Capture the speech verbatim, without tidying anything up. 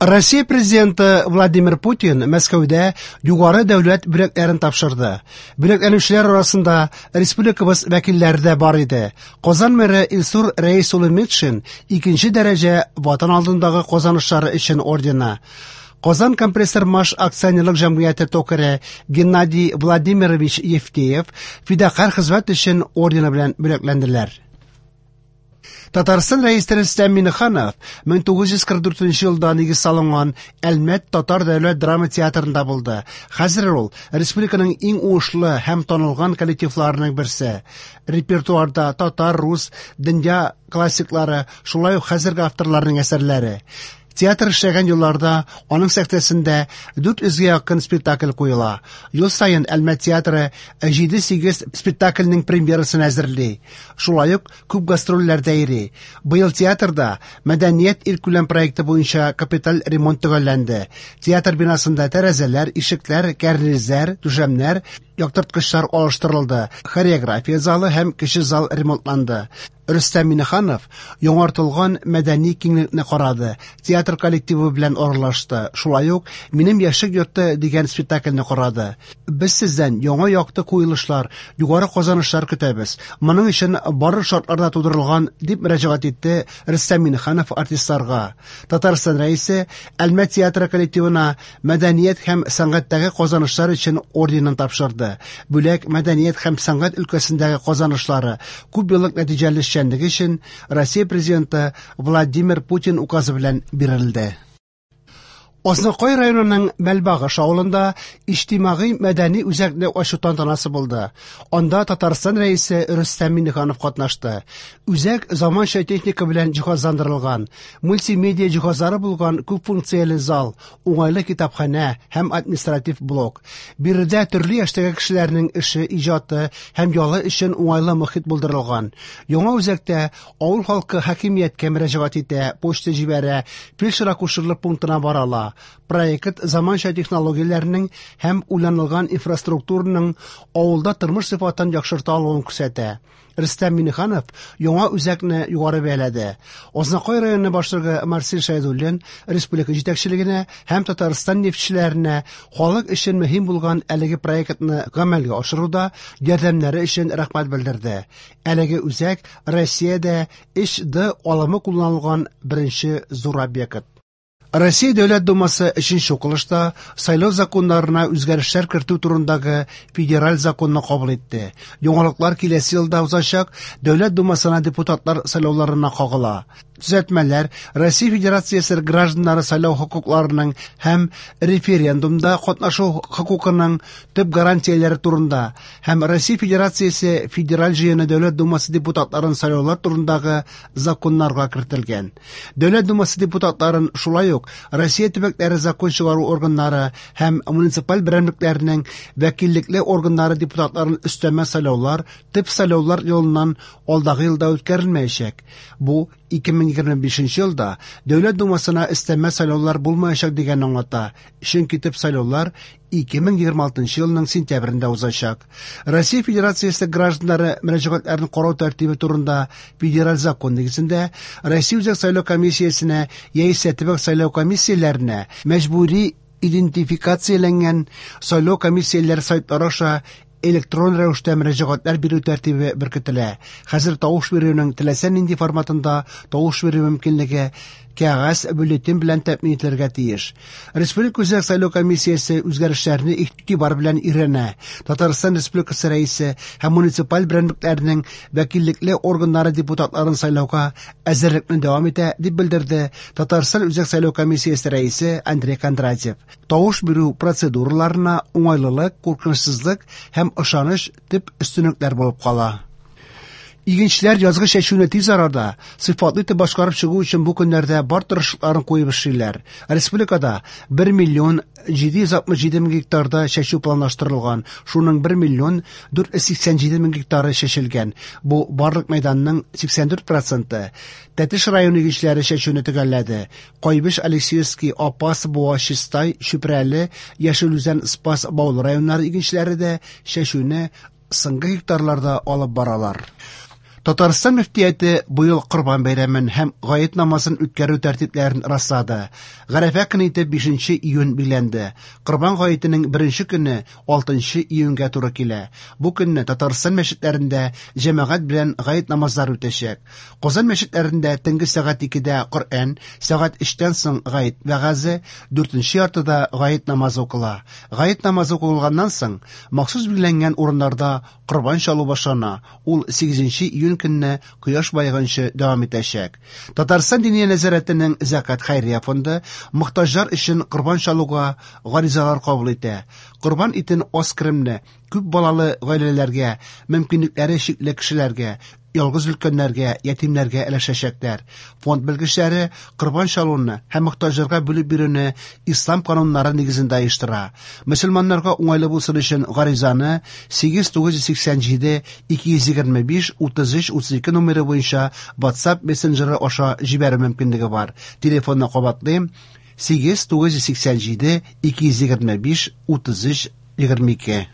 Россия президенты Владимир Путин Мәскәүдә югары дәүләт бүләкләрен тапшырды. Бүләкләнүчеләр арасында республикабыз вәкилләре дә бар иде. Казан мэры Илсур Рәис улы Метшин икенче дәрәҗә Ватан алдындагы казанышлары өчен ордены, Казан компрессор маш акционерлык җәмгыяте токаре Геннадий Владимирович Евтеев фидакарь хезмәт өчен ордены белән бүләкләнделәр. Татарстан Рәисе Рөстәм Миңнеханов мең тугыз йөз кырык дүртенче елда нигез салынган Әлмәт татар дәүләт драма театрында булды. Хәзер ул республиканың иң уңышлы һәм танылган коллективларының берсе. Репертуарда татар, рус, дөнья классиклары, шулай ук хәзерге авторларның әсәрләре. Театр эшләгән елларда аның сәхнәсендә дүрт йөзгә якын спектакль куела. Ел саен Әлмәт театры җиде-сигез спектакльнең премьерасын әзерли. Шулай ук күп гастрольләрдә йөри. Быел театрда Мәдәният илкүләм проекты буенча капиталь ремонт төгәлләнде. Театр бинасында тәрәзәләр, ишекләр, кәрнизләр, түшәмнәр, яктырткычлар алыштырылды. Хореография залы һәм кече зал ремонтланды. Рөстәм Миңнеханов яңартылган мәдәни киңлекне карады, театр коллективы белән аралашты. Шулай ук Минем яшьлек йорты дигән спектакльне карады. Без сездән яңа якты куелышлар, югары казанышлар көтәбез. Моның өчен барлык шартлар да тудырылган, дип мөрәҗәгать итте Рөстәм Миңнеханов артистларга. Татарстан Рәисе Әлмәт театры коллективына мәдәният һәм сәнгатьтәге казанышлар өчен орденын тапшырды. Бүләк мәдәният һәм сәнгать өлкәсендәге казанышлары, күп еллык нәтиҗәле эшчәнлеге өчен Россия президенты Владимир Путин указы белән бирелде. Азнакай районының Мәлбагыш авылында иҗтимагый мәдәни үзәкне ачу тантанасы булды. Анда Татарстан Рәисе Рөстәм Миңнеханов катнашты. Үзәк заманча техника белән җиһазландырылган, мультимедиа җиһазлары булган күп функцияле зал, уңайлы китапханә һәм административ блок. Биредә төрле яшьтәге кешеләрнең эше, иҗаты һәм ялы өчен уңайлы мохит булдырылган. Яңа үзәктә авыл халкы хакимияткә мөрәҗәгать итә, почта җибәрә, фельдшер-акушерлык пунктына бара ала. Проект заманча технологияләрнең һәм уйланылган инфраструктураның авылда тормыш сыйфатын яхшырта алуын күрсәтә. Рөстәм Миңнеханов яңа үзәкне югары бәяләде. Азнакай районы башлыгы Марсель Шәйдуллин республика җитәкчелегенә һәм Татарстан нефтьчеләренә халык өчен мөһим булган әлеге проектны гамәлгә ашыруда ярдәмнәре өчен рәхмәт белдерде. Әлеге үзәк Россиядә өч Д алымы кулланылган беренче зур объект. Россия Дәүләт Думасы өченче укылышта сайлау законнарына үзгәрешләр кертү турындагы федераль законны кабул итте. Яңалыклар киләсе елда узачак Дәүләт Думасына депутатлар сайлауларына кагыла. Төзәтмәләр Россия Федерациясе гражданнары сайлау хокукларының һәм референдумда катнашу хокукының төп гарантияләре турында һәм Россия Федерациясе Федераль Җыены Дәүләт Думасы депутатларын сайлаулар турындагы законнарга кертелгән. Дәүләт Думасы депутатларын шулай ук Россия төбәкләре закон чыгару органнары һәм муниципаль берәмлекләренең вәкиллекле органнары депутатларын өстәмә сайлаулар төп сайлаулар юлыннан алдагы елда үткәрелмәячәк. Бу ике мең егерме бишенче елда Дәүләт Думасына өстәмә сайлаулар булмаячак дигәнне аңлата. Чөнки төп сайлаулар ике мең егерме алтынчы елның сентябрендә узачак. Россия Федерациясе гражданнары мөрәҗәгатьләрен карау тәртибе турында федераль закон нигезендә Россия Үзәк сайлау комиссиясенә яисә төбәк сайлау комиссияләренә мәҗбүри идентификацияләнгән сайлау комиссияләре сайтлары аша электрон рәвештә мөрәҗәгатьләр бирү тәртибе беркетелә. Хәзер тавыш бирүнең теләсә нинди форматында тавыш бирү мөмкинлеге кәгазь бюллетень белән тәэмин ителергә тиеш. Республика Үзәк сайлау комиссиясе үзгәрешләрне игътибар белән өйрәнә. Татарстан Республикасы Рәисе һәм муниципаль берәмлекләрнең вәкиллекле органнары депутатларын сайлауга әзерлекне дәвам итә, дип белдерде Татарстан Үзәк сайлау комиссиясе рәисе Андрей Кондратьев. Тавыш бирү процедураларына уңайлылык, куркынычсызлык һәм ышаныч төп өстенлекләр булып кала. Игенчеләр язгы чәчүне тиз арада сыйфатлы итеп башкарып чыгу өчен бу көннәрдә бар тырышлыкларын куеп эшлиләр. Республикада бер миллион җиде йөз алтмыш җиде мең гектарда чәчү планлаштырылган. Шуның бер миллион дүрт йөз сиксән җиде мең гектары чәчелгән. Бу барлык мәйданның сиксән дүрт проценты. Тәтеш районы игенчеләре чәчүне төгәлләде. Кайбыч, Алексеевский, Апас, Буа, Чистай, Чүпрәле, Яшел Үзән, Спас, Баулы районнары игенчеләре дә чәчүне соңгы гектарларда алып баралар. Татарстан мөфтияте быел Корбан бәйрәмен һәм Гает намазын үткәрү тәртипләрен раслады. Гарәфә көне итеп бишенче июнь билгеләнде. Корбан гаетенең беренче көне алтынчы июньгә туры килә. Бу көнне Татарстан мәчетләрендә җәмәгать белән гает намазлары үтәчәк. Казан мәчетләрендә төнге сәгать икедә Коръән, сәгать өчтән соң гает вәгазе, дүртенче яртыда гает намазы укыла. Гает намазы укылганнан соң махсус билгеләнгән урыннарда корбан чалу башлана. Ул сигезенче июнь көнне кояш баеганчы дәвам итәчәк. Татарстан Диния нәзарәтенең Зәкат хәйрия фонды мохтаҗлар өчен корбан чалуга гаризалар кабул итә. Корбан итен аз керемле, күп балалы гаиләләргә, мөмкинлекләре чикле кешеләргә, ялгыз өлкәннәргә, ятимнәргә өләшәчәкләр. Фонд белгечләре корбан чалуны һәм мохтаҗларга бүлеп бирүне ислам кануннары нигезендә оештыра. Мөселманнарга уңайлы булсын өчен гаризаны сигез тугыз йөз сиксән җиде ике йөз егерме биш утыз өч утыз ике номеры буенча WhatsApp мессенджеры аша җибәрү мөмкинлеге бар. Телефонны кабатлыйм: сигез тугыз йөз сиксән җиде ике йөз егерме биш утыз өч егерме ике.